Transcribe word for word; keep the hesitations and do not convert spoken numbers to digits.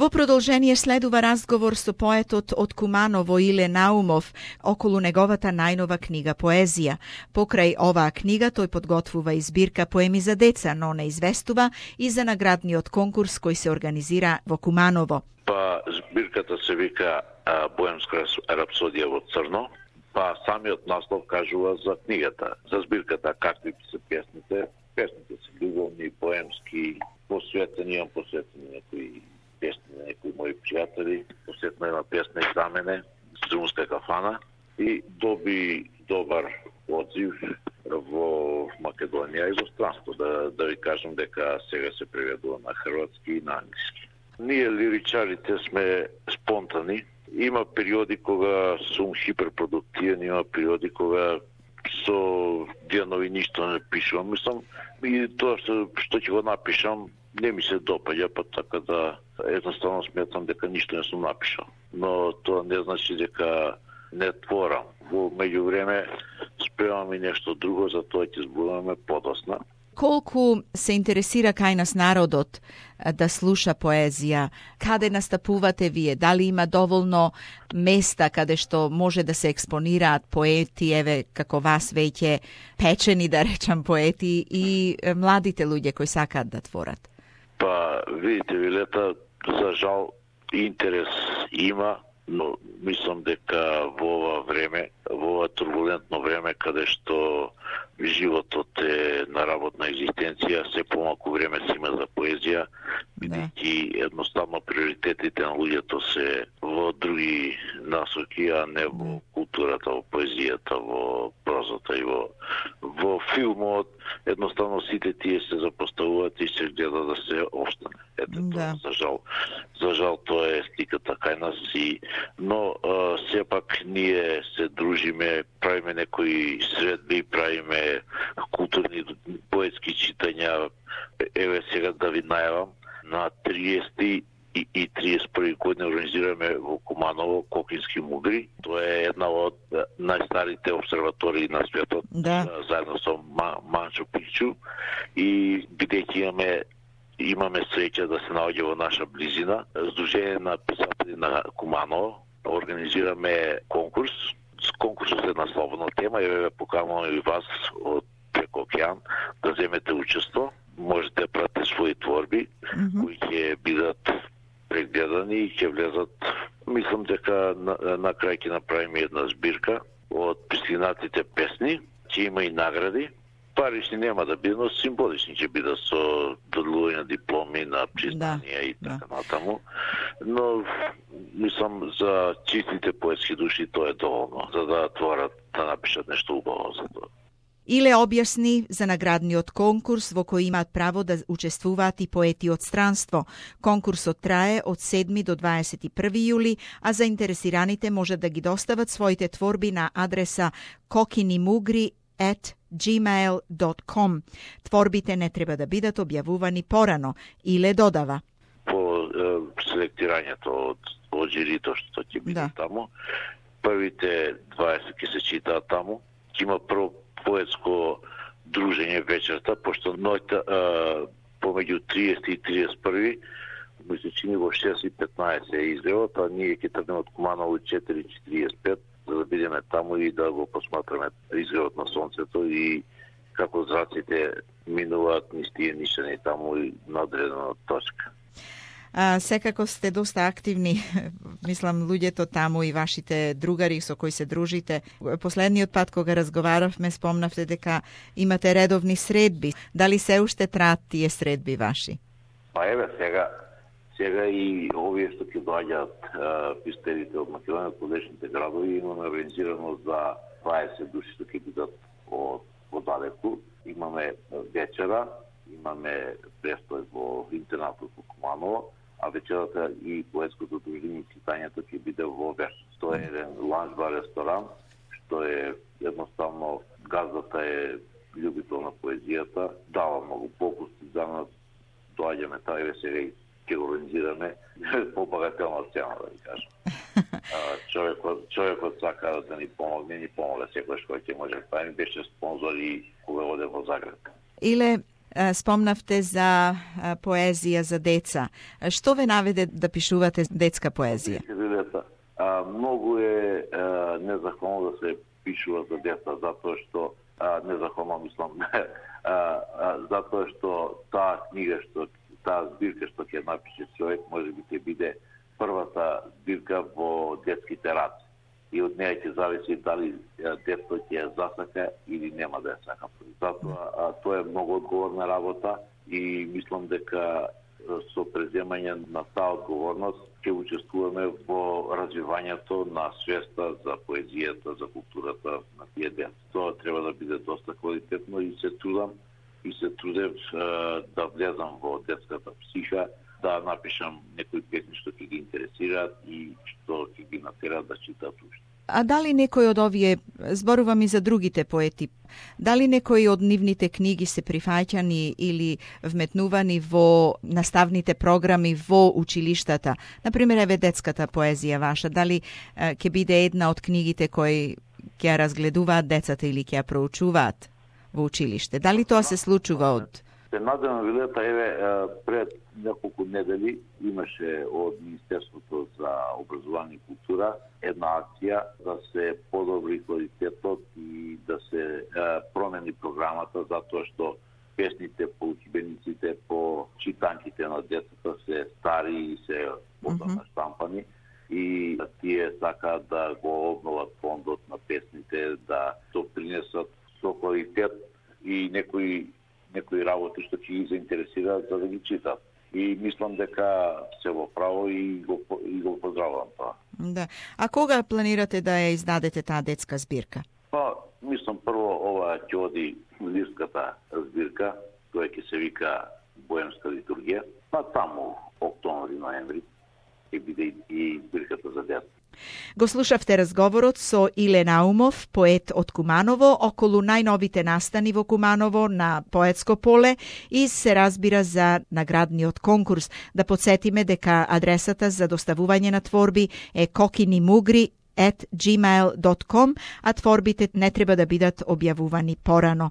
Во продолжение следува разговор со поетот од Куманово Иле Наумов околу неговата најнова книга поезија. Покрај оваа книга тој подготвува и збирка поеми за деца, но не известува и за наградниот конкурс кој се организира во Куманово. Па збирката се вика Боемска рапсодија во црно, па самиот наслов кажува за книгата. За збирката какви се песните, песните се љубовни, поемски, посветени, имам посветени некои песни на некои мои пријатели, посетна една песна и за мене, Струмска кафана, и доби добар одзив во Македонија и во странство. Да, да ви кажам дека сега се преведува на хрватски и на англиски. Ние лиричарите сме спонтани. Има периоди кога сум хиперпродуктивен, има периоди кога со денови ништо не пишувам. Мислам, и тоа што, што ќе го напишам, не ми се допаѓа, па така да едноставно сметам дека ништо не сум напишал. Но тоа не значи дека не творам. Во меѓувреме спремам и нешто друго, за тоа ќе зборуваме подосна. Колку се интересира кај нас народот да слуша поезија? Каде настапувате вие? Дали има доволно места каде што може да се експонираат поети, еве како вас веќе печени, да речам, поети и младите луѓе кои сакаат да творат? Па, видите, Вилета, за жал интерес има, но мислам дека во ова време, во ова турбулентно време, каде што животот е на работна екзистенција, се помалку време се има за поезија, бидејќи едноставно приоритетите на луѓето се во други насоки, а не во културата, во поезијата, во прозата и во во филмот. Едноставно сите тие се запоставуваат и се гледа да се остане. Ето тоа, за жал. За жал тоа е сликата кај нас и но а, сепак ние се дружиме, правиме некои средби, правиме културни поетски читања. Еве сега да ви најавам, на триесети и, и триесет и први година организираме во Куманово Кокински мугри. Тоа е една од најстарите обсерватории на светот, да. Заедно со Манчо Пикчу, и бидејќи имаме имаме среќа да се наоѓа во наша близина, Сдружение на писатели на Куманово организираме конкурс. Конкурсот е на слободна тема, еве покануваме и вас од преко океан да земете учество. Можете да пратите своји творби, mm-hmm. кои ќе бидат прегледани и ќе влезат. Мислам дека на, на крај ќе направиме една збирка од пристигнатите песни, ќе има и награди. Парични нема да бидат, но символични ќе бидат со доделување на дипломи, на признанија, да, и така да. Натаму. Но мислам за чистите поетски души тоа е доволно, за да творат, да напишат нешто убаво за тоа. Иле објасни за наградниот конкурс во кој имаат право да учествуваат и поети од странство. Конкурсот трае од седми до дваесет и први јули, а заинтересираните може да ги достават своите творби на адреса kokinimugri at gmail dot com. Творбите не треба да бидат објавувани порано. Иле додава. По е, селектирањето од, од жирито што ќе биде да. Таму, првите дваесет ќе се читаат таму. Ќе има прво поетско дружење вечерта, пошто ноќта помеѓу триесет и триесет и први ми се чини во шест и петнаесет е излевот, а ние ќе тргнеме од Куманово четири и четиридесет и пет, за да бидеме таму и да го посматраме изгледот на сонцето и како зраците минуваат низ тие нишани таму и на одредена точка. А, секако сте доста активни, мислам, луѓето таму и вашите другари со кои се дружите. Последниот пат кога разговаравме, спомнавте дека имате редовни средби. Дали се уште траат тие средби ваши? Па еве сега, сега и овие што ќе доаѓаат пистерите од Македонија, од подешните градови, имаме организирано за дваесет души што ќе бидат од подалеку. Имаме вечера, имаме престој во интернатот во Куманово, а вечерата и поетското дружење и читањето ќе биде во Верс. Тоа е еден ланч-бар ресторан, што е едноставно газдата е љубител на поезијата, дава многу попусти за нас, доаѓаме таа и сега и ќе го организираме по багателна цена, да ви кажам. Човекот, човекот сака да ни помогне, ни помогне секојаш кој ќе може. Тоа ми беше спонзор и кога оде во Загреб. Иле, Спомнавте за поезија за деца. Што ве наведе да пишувате детска поезија? Многу е незахвално да се пишува за деца, затоа што незахвално мислам, затоа што таа книга, што таа збирка што ќе напише човек, може би ќе биде првата збирка во детските раци. И од неја ќе зависи дали детето ќе ја засака или нема да ја сака. Затоа тоа е многу одговорна работа и мислам дека со преземање на таа одговорност ќе учествуваме во развивањето на свеста за поезијата, за културата на тие деца. Тоа треба да биде доста квалитетно и се трудам и се трудев да влезам во детската психа, да напишам некои песни што ќе ги интересираат и што ќе ги натераат да читаат уште. А дали некој од овие, зборувам и за другите поети, дали некои од нивните книги се прифаќани или вметнувани во наставните програми во училиштата? Например, еве детската поезија ваша, дали е, ќе биде една од книгите кои ќе ја разгледуваат децата или ќе ја проучуваат во училиште? Дали тоа се случува од... Се надевам, Вилета, еве, пред неколку недели имаше од Министерството за образование и култура една акција да се подобри квалитетот и да се е, промени програмата, затоа што песните по учебениците, по читанките на децата се стари и се одамна штампани и тие сакаат да го обноват фондот на песните, да допринесат со квалитет и некои некои работи што ќе ги заинтересираат за да ги читат. И мислам дека се во право и го, и го поздравувам тоа. Да. А кога планирате да ја издадете таа детска збирка? Па, мислам прво ова ќе оди лирската збирка, која ќе се вика Боемска литургија, па таму октомври-ноември ќе биде и збирката за деца. Го слушавте разговорот со Иле Наумов, поет од Куманово, околу најновите настани во Куманово на поетско поле и се разбира за наградниот конкурс. Да подсетиме дека адресата за доставување на творби е kokinimugri at gmail dot com, а творбите не треба да бидат објавувани порано.